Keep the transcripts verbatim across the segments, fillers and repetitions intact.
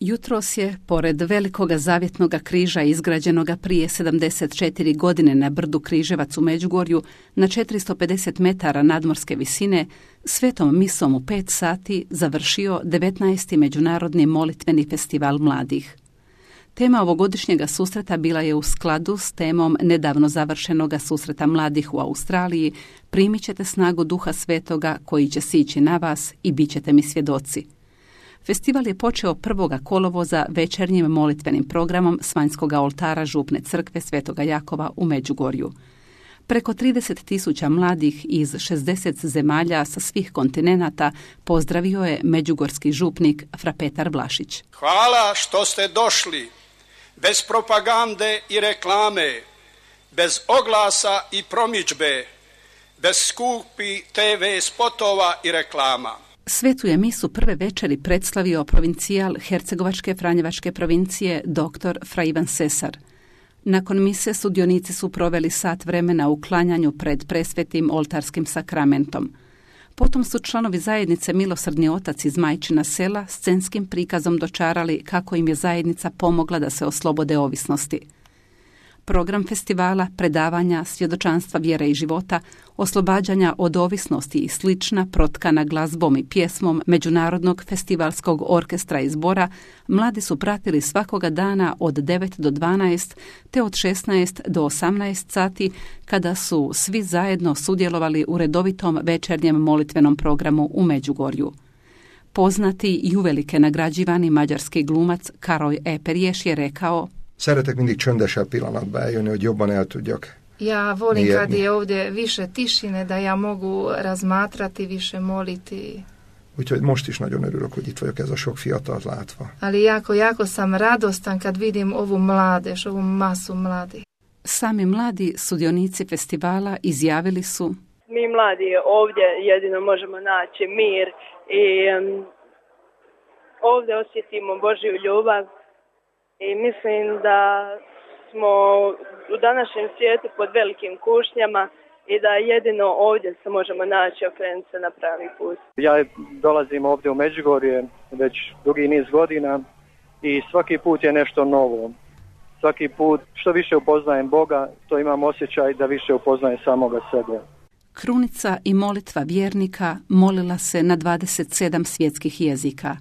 Jutros je, pored velikoga zavjetnoga križa izgrađenoga prije sedamdeset četiri godine na brdu Križevac u Međugorju, na četiristo pedeset metara nadmorske visine, svetom misom u pet sati završio devetnaesti Međunarodni molitveni festival mladih. Tema ovogodišnjega susreta bila je u skladu s temom nedavno završenoga susreta mladih u Australiji Primit ćete snagu Duha Svetoga koji će sići na vas i bit ćete mi svjedoci. Festival je počeo prvog kolovoza večernjim molitvenim programom s vanjskog oltara Župne crkve Svetoga Jakova u Međugorju. Preko trideset tisuća mladih iz šezdeset zemalja sa svih kontinenata pozdravio je međugorski župnik fra Petar Vlašić. Hvala što ste došli, bez propagande i reklame, bez oglasa i promidžbe, bez skupi te ve spotova i reklama. Svetu je misu prve večeri predstavio provincijal Hercegovačke Franjevačke provincije dr. fra Ivan Sesar. Nakon mise sudionici su proveli sat vremena u klanjanju pred presvetim oltarskim sakramentom. Potom su članovi zajednice Milosrdni otac iz Majčina sela scenskim prikazom dočarali kako im je zajednica pomogla da se oslobode ovisnosti. Program festivala, predavanja, svjedočanstva vjere i života, oslobađanja od ovisnosti i slična protkana glazbom i pjesmom Međunarodnog festivalskog orkestra i zbora, mladi su pratili svakoga dana od devet do dvanaest te od šesnaest do osamnaest sati kada su svi zajedno sudjelovali u redovitom večernjem molitvenom programu u Međugorju. Poznati i uvelike nagrađivani mađarski glumac Karoj Eperješ je rekao: Szeretek mindig csöndesebb pillanatba eljönni, hogy jobban el tudjak. Ja volim kad je ovdje više tišine, da ja mogu razmatrati, više moliti. Úgyhogy most is nagyon örülök, hogy itt vagyok, ez a sok fiatalt látva. Ali jako, jako sam radostan kad vidim ovu mladež, ovu masu mladih. Sami mladi sudionici festivala izjavili su: Mi mladi ovdje jedino možemo naći mir i um, ovdje osjetimo Božju ljubav. I mislim da smo u današnjem svijetu pod velikim kušnjama i da jedino ovdje se možemo naći, okrenuti se na pravi put. Ja dolazim ovdje u Međugorje već dugi niz godina i svaki put je nešto novo. Svaki put što više upoznajem Boga, to imam osjećaj da više upoznajem samoga sebe. Krunica i molitva vjernika molila se na dvadeset sedam svjetskih jezika.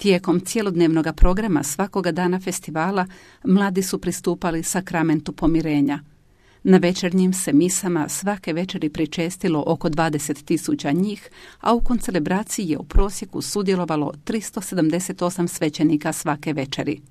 Tijekom cjelodnevnog programa svakoga dana festivala mladi su pristupali sakramentu pomirenja. Na večernjim se misama svake večeri pričestilo oko dvadeset tisuća njih, a u koncelebraciji je u prosjeku sudjelovalo tristo sedamdeset osam svećenika svake večeri.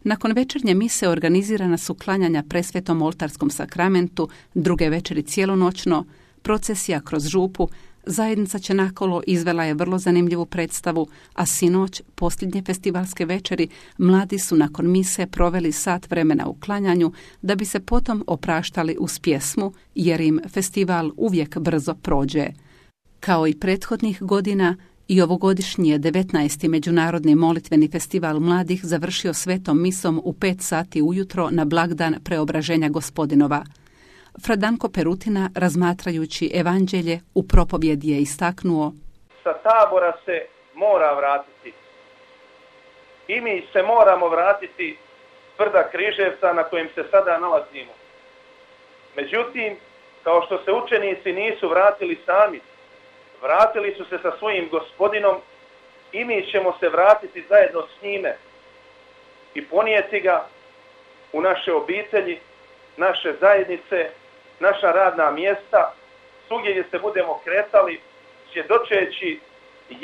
Nakon večernje mise organizirana su klanjanja presvetom oltarskom sakramentu, druge večeri cijelonoćno, procesija kroz župu. Zajednica Čenakolo izvela je vrlo zanimljivu predstavu, a sinoć, posljednje festivalske večeri, mladi su nakon mise proveli sat vremena u klanjanju da bi se potom opraštali uz pjesmu, jer im festival uvijek brzo prođe. Kao i prethodnih godina, i ovogodišnji je devetnaesti Međunarodni molitveni festival mladih završio svetom misom u pet sati ujutro na blagdan Preobraženja Gospodinova. Fra Danko Perutina, razmatrajući evanđelje, u propovjedi je istaknuo: Sa tabora se mora vratiti. I mi se moramo vratiti s brda Križevca na kojem se sada nalazimo. Međutim, kao što se učenici nisu vratili sami, vratili su se sa svojim Gospodinom i mi ćemo se vratiti zajedno s njime i ponijeti ga u naše obitelji, naše zajednice, naša radna mjesta, svugdje gdje se budemo kretali, svjedočeći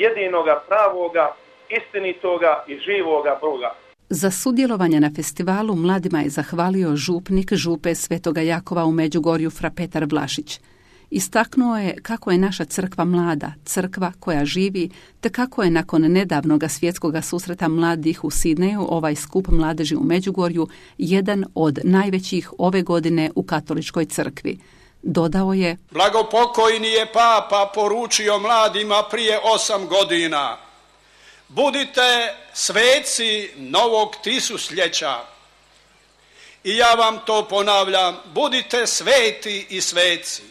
jedinoga, pravoga, istinitoga i živoga Boga. Za sudjelovanje na festivalu mladima je zahvalio župnik župe Svetoga Jakova u Međugorju fra Petar Vlašić. Istaknuo je kako je naša crkva mlada, crkva koja živi, te kako je nakon nedavnoga svjetskoga susreta mladih u Sidneju ovaj skup mladeži u Međugorju jedan od najvećih ove godine u katoličkoj crkvi. Dodao je: Blagopokojni je papa poručio mladima prije osam godina: budite sveci novog tisućljeća. I ja vam to ponavljam, budite sveti i sveci.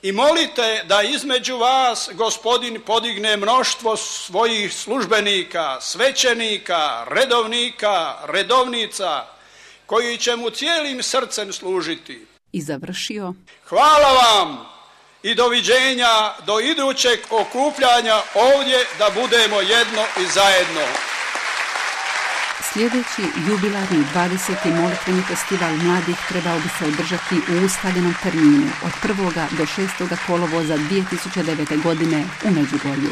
i molite da između vas Gospodin podigne mnoštvo svojih službenika, svećenika, redovnika, redovnica, koji će mu cijelim srcem služiti. I završio: hvala vam i doviđenja do idućeg okupljanja ovdje da budemo jedno i zajedno. Sljedeći jubilarni dvadeseti molitveni festival mladih trebao bi se održati u ustaljenom terminu od prvog do šestog kolovoza dvije tisuće devete. godine u Međugorju.